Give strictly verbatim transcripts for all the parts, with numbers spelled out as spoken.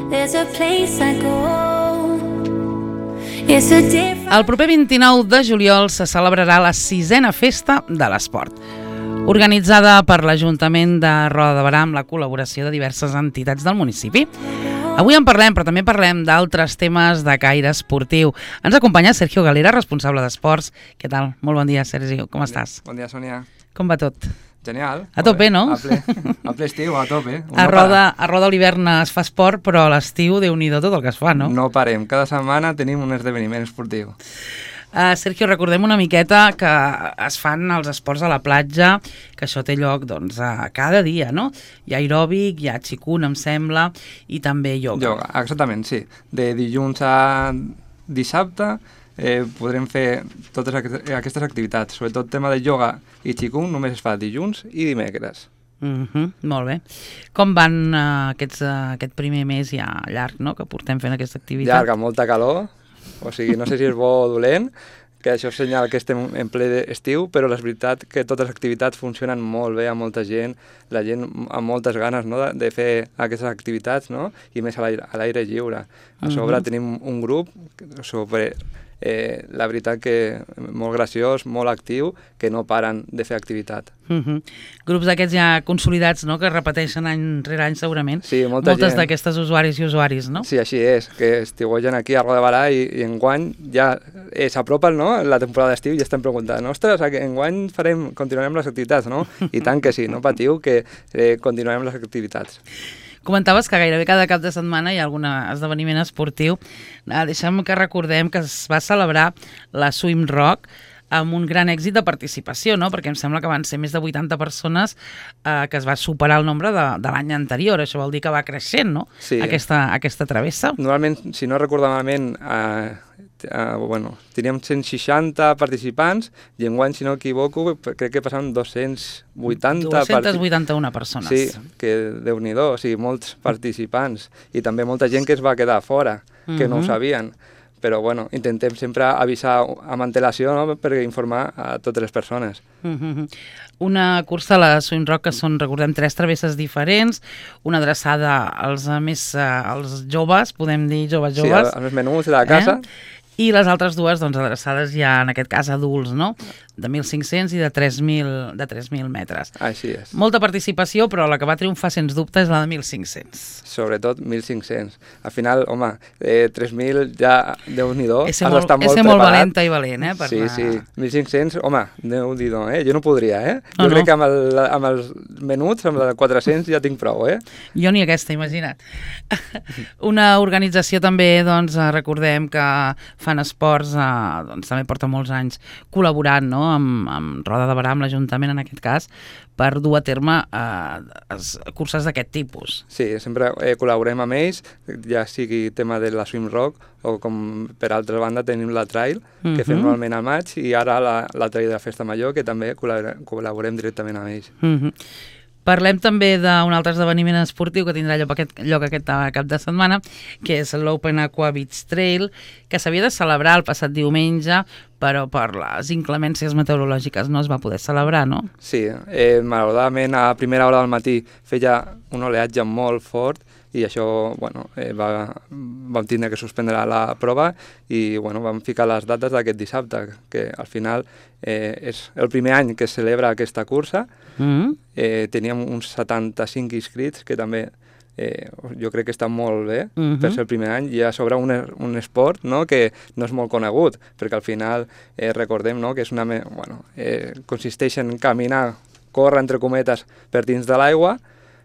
there's a place I go. It's a different... El proper vint-i-nou de juliol se celebrarà la sisena festa de l'esport, organitzada per l'Ajuntament de Roda de Berà amb la col·laboració de diverses entitats del municipi. Avui en parlem, però també parlem d'altres temes de caire esportiu. Ens acompanya Sergio Galera, responsable d'esports. Què tal? Molt bon dia, Sergio. Com estàs? Bon dia, Sònia. Com va tot? Genial. A tope, no? A ple, a ple estiu, a tope. A Roda, a Roda a l'hivern es fa esport, però a l'estiu, Déu-n'hi-do tot el que es fa, no? No parem. Cada setmana tenim un esdeveniment esportiu. Uh, Sergio, recordem una miqueta que es fan els esports a la platja, que això té lloc doncs, a cada dia, no? Hi ha aeròbic, hi ha xicun, em sembla, i també ioga. Ioga, exactament, sí. De dilluns a dissabte eh, podrem fer totes aquestes activitats. Sobretot el tema de ioga i xicun només es fa dilluns i dimecres. Uh-huh, molt bé. Com van uh, aquests, uh, aquest primer mes ja llarg, no?, que portem fent aquesta activitat? Llarg, amb molta calor. O sigui, no sé si és bo o dolent, que això és senyal que estem en ple estiu, però és veritat que totes les activitats funcionen molt bé, amb molta gent, la gent amb moltes ganes, no?, de, de fer aquestes activitats, no?, i més a l'aire lliure. A sobre uh-huh. tenim un grup sobre... Eh, la veritat que molt graciós, molt actiu, que no paren de fer activitat. Uh-huh. Grups d'aquests ja consolidats, no?, que repeteixen any rere any segurament. Sí, molta moltes gent. D'aquestes usuaris i usuaris, no? Sí, així és, que estiuegen aquí a Roda de Berà i, i enguany ja eh, s'apropa, no?, la temporada d'estiu i ja estan preguntant, ostres, enguany farem, continuarem les activitats, no? I tant que sí, no patiu, que eh, continuarem les activitats. Comentaves que gairebé cada cap de setmana hi ha algun esdeveniment esportiu. Ah, deixa'm que recordem que es va celebrar la Swim Rock amb un gran èxit de participació, no?, perquè em sembla que van ser més de vuitanta persones eh, que es va superar el nombre de, de l'any anterior. Això vol dir que va creixent, no?, sí. aquesta, aquesta travessa. Normalment, si no recordo malament, eh, Uh, bueno, teníem cent seixanta participants i enguany, si no equivoco, crec que passaven dos-cents vuitanta... dos-cents vuitanta-una persones. Sí, que Déu-n'hi-do, o sigui, molts participants i també molta gent que es va quedar fora, que uh-huh. no ho sabien. Però, bueno, intentem sempre avisar amb antelació, no?, per informar a totes les persones. Uh-huh. Una cursa a la Swim Rock que són, recordem, tres travesses diferents, una adreçada als més als joves, podem dir joves joves. Sí, als més menuts de la casa. Eh? I les altres dues, doncs, adreçades ja, en aquest cas, adults, no?, de mil cinc-cents i de tres mil metres. Així és. Molta participació, però la que va triomfar, sens dubte, és la de mil cinc-cents. Sobretot mil cinc-cents. Al final, home, eh, tres mil ja, Déu-n'hi-do, has molt, d'estar molt preparat. És molt valenta i valent, eh? Per sí, la... sí, mil cinc-cents, home, Déu-n'hi-do, eh? Jo no podria, eh? Jo no, crec no. que amb, el, amb els menuts, amb els quatre-cents, ja tinc prou, eh? Jo ni aquesta, imagina't. Una organització també, doncs, recordem que fan esports, eh, doncs també porta molts anys col·laborant, no?, amb, amb Roda de Berà, amb l'Ajuntament en aquest cas, per dur a terme eh, curses d'aquest tipus. Sí, sempre eh, col·laborem amb ells, ja sigui tema de la Swim Rock o com per altra banda tenim la Trail, que uh-huh. fem normalment al maig, i ara la, la Trail de la Festa Major, que també col·laborem, col·laborem directament amb ells. Uh-huh. Parlem també d'un altre esdeveniment esportiu que tindrà lloc aquest, lloc aquest cap de setmana, que és l'Open Aqua Beach Trail, que s'havia de celebrar el passat diumenge, però per les inclemències meteorològiques no es va poder celebrar, no? Sí, eh, malauradament a primera hora del matí feia un oleatge molt fort i això, bueno, eh, va, vam tindre que suspendre la prova i, bueno, vam ficar les dates d'aquest dissabte, que al final eh, és el primer any que es celebra aquesta cursa. Mm-hmm. eh, teníem uns setanta-cinc inscrits, que també eh, jo crec que està molt bé mm-hmm. per ser el primer any, i a sobre un, un esport, no?, que no és molt conegut, perquè al final eh, recordem, no?, que és una, bueno, eh, consisteix en caminar, córrer, entre cometes, per dins de l'aigua.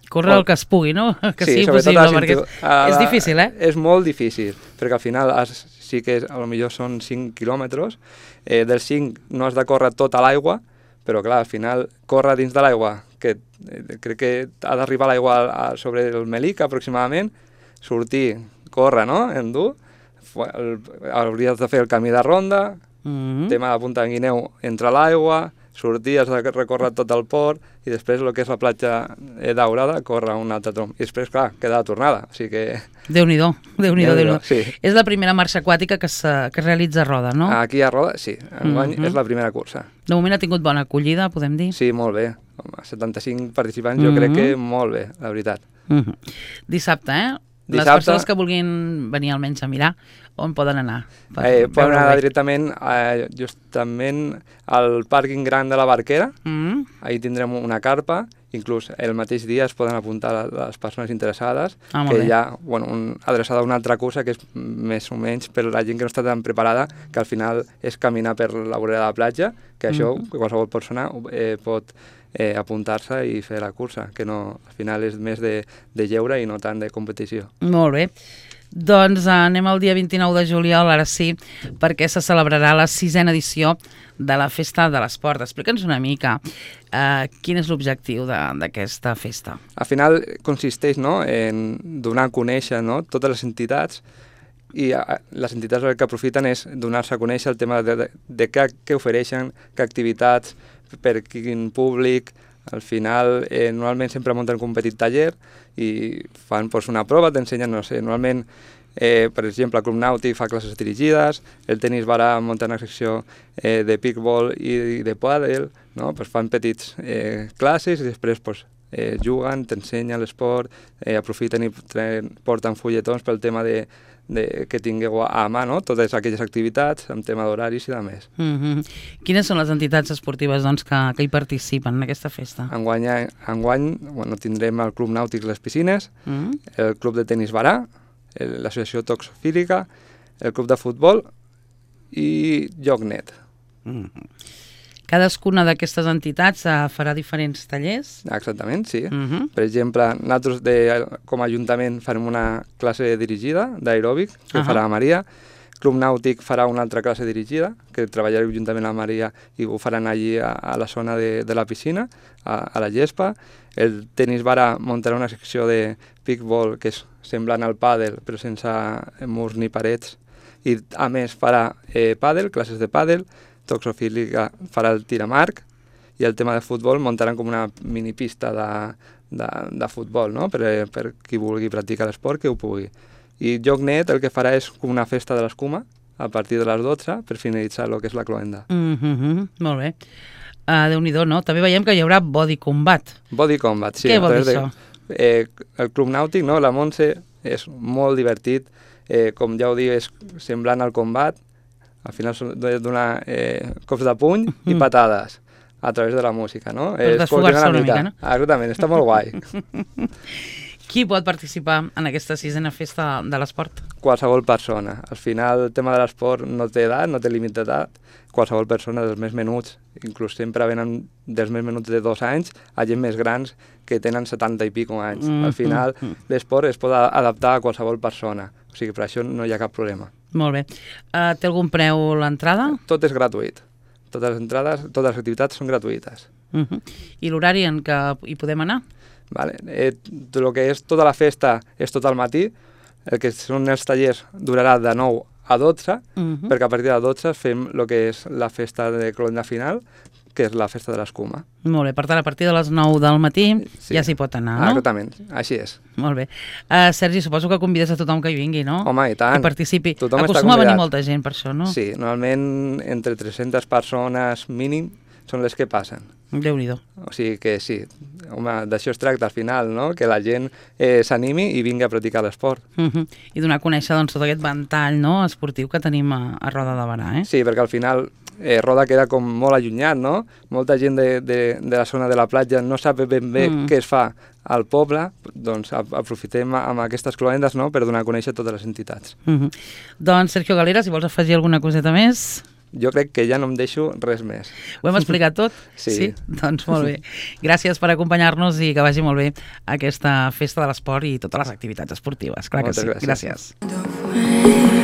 Córrer el que es pugui, no? Que sí, sigui possible, perquè és, a, és difícil, eh? És molt difícil, perquè al final has, sí que a lo millor són cinc quilòmetres, eh, dels cinc no has de córrer tota l'aigua, però clar, al final córrer dins de l'aigua, que eh, crec que ha d'arribar l'aigua sobre el Melic aproximadament, sortir, córrer, no?, endur, hauries de fer el camí de ronda, mm-hmm. tema de Punta Guineu entre l'aigua, sortir, has de recórrer tot el port i després el que és la platja daurada, córrer un altre trom. I després, clar, queda la tornada. O sigui que... Déu-n'hi-do, Déu-n'hi-do, Déu-n'hi-do. Sí. És la primera marxa aquàtica que, que es realitza a Roda, no? Aquí a Roda, sí. Enguany mm-hmm. és la primera cursa. De moment ha tingut bona acollida, podem dir? Sí, molt bé. Home, setanta-cinc participants, mm-hmm. jo crec que molt bé, la veritat. Mm-hmm. Dissabte, eh? Les persones que vulguin venir almenys a mirar, on poden anar? Eh, poden anar directament eh, justament al pàrquing gran de la Barquera, mm. Ahí tindrem una carpa, inclús el mateix dia es poden apuntar les persones interessades, ah, que hi ha bueno, un, adreçada a una altra cursa que és més o menys per la gent que no està tan preparada, que al final és caminar per la vorera de la platja, que això mm. qualsevol persona eh, pot eh, apuntar-se i fer la cursa, que no, al final és més de, de lleure i no tant de competició. Molt bé. Doncs anem al dia vint-i-nou de juliol, ara sí, perquè se celebrarà la sisena edició de la Festa de l'Esport. Explica'ns una mica eh, quin és l'objectiu d'aquesta festa. Al final consisteix, no?, en donar a conèixer, no?, totes les entitats, i a, les entitats el que aprofiten és donar-se a conèixer el tema de, de, de què, què ofereixen, què activitats, per quin públic. Al final, eh, normalment sempre munten un petit taller i fan pues, una prova, t'ensenyen, no sé, normalment, eh, per exemple, el Club Nàutic fa classes dirigides, el tenis barà munta una secció eh, de pickball i de pàdel, no? Pues fan petits eh, classes i després pues, eh, juguen, t'ensenyen l'esport, eh, aprofiten i porten fulletons pel tema de De, que tingueu a mà, no?, totes aquelles activitats, amb tema d'horaris i de més. Mm-hmm. Quines són les entitats esportives doncs, que, que hi participen en aquesta festa? Enguany, enguany bueno, tindrem el Club Nàutic Les Piscines, mm-hmm. el Club de Tenis Barà, l'Associació Toxofílica, el Club de Futbol i Llocnet. Mm-hmm. Cadascuna d'aquestes entitats uh, farà diferents tallers? Exactament, sí. Uh-huh. Per exemple, nosaltres de, com a Ajuntament farem una classe dirigida d'aeròbic que uh-huh. farà la Maria. Club Nàutic farà una altra classe dirigida, que treballarà juntament amb la Maria i ho faran allí a, a la zona de, de la piscina, a, a la gespa. El tenis barà muntarà una secció de pickball que és semblant al pàdel, però sense murs ni parets. I a més farà eh, pàdel, classes de pàdel. Toxofílica farà el tir amb arc i el tema de futbol muntaran com una mini pista de, de, de futbol, no?, per, per qui vulgui practicar l'esport, que ho pugui. I Llocnet el que farà és com una festa de l'escuma a partir de les dotze per finalitzar el que és la cloenda. Mm-hmm, molt bé. Uh, Déu-n'hi-do, no? També veiem que hi haurà body combat. Body combat, sí. Què vol dir això? De, eh, el Club Nàutic, no?, la Montse, és molt divertit, eh, com ja ho dic, és semblant al combat. Al final són donar eh, cops de puny i patades a través de la música, no? Per desfogar-se una mica, no? Ah, exactament, està molt guai. Qui pot participar en aquesta sisena festa de l'esport? Qualsevol persona. Al final el tema de l'esport no té edat, no té límit d'edat. Qualsevol persona dels més menuts, inclús sempre venen dels més menuts de dos anys a gent més grans que tenen setanta i pico anys. Mm, Al final mm, mm. l'esport es pot adaptar a qualsevol persona, o sigui, per això no hi ha cap problema. Molt bé. Uh, té algun preu l'entrada? Tot és gratuït. Totes les entrades, totes les activitats són gratuïtes. Uh -huh. I l'horari en què hi podem anar? Vale. Eh, el que és tota la festa és tot al matí, el que són els tallers durarà de nou a dotze, uh -huh. perquè a partir de dotze fem el que és la festa de cloenda final, que és la festa de l'escuma. Molt bé, per tant, a partir de les nou del matí sí. ja s'hi pot anar, no? Ah, exactament, així és. Molt bé. Uh, Sergi, suposo que convides a tothom que hi vingui, no? Home, i tant. Que participi. Tothom Acostuma a venir molta gent per això, no? Sí, normalment entre tres-centes persones mínim són les que passen. Déu-n'hi-do. O sigui que sí, home, d'això es tracta al final, no?, que la gent eh, s'animi i vingui a practicar l'esport. Uh-huh. I donar a conèixer doncs, tot aquest ventall, no?, esportiu que tenim a, a Roda de Barà, eh? Sí, perquè al final eh, Roda queda com molt allunyat, no? Molta gent de, de, de la zona de la platja no sap ben bé mm. què es fa al poble, doncs aprofitem amb aquestes cloendes, no?, per donar a conèixer totes les entitats. Uh-huh. Doncs Sergio Galera, si vols afegir alguna coseta més... Jo crec que ja no em deixo res més. Ho hem explicat tot? Sí. Sí? Doncs molt bé. Gràcies per acompanyar-nos i que vagi molt bé aquesta festa de l'esport i totes les activitats esportives. Clar que sí. Moltes gràcies. Gràcies.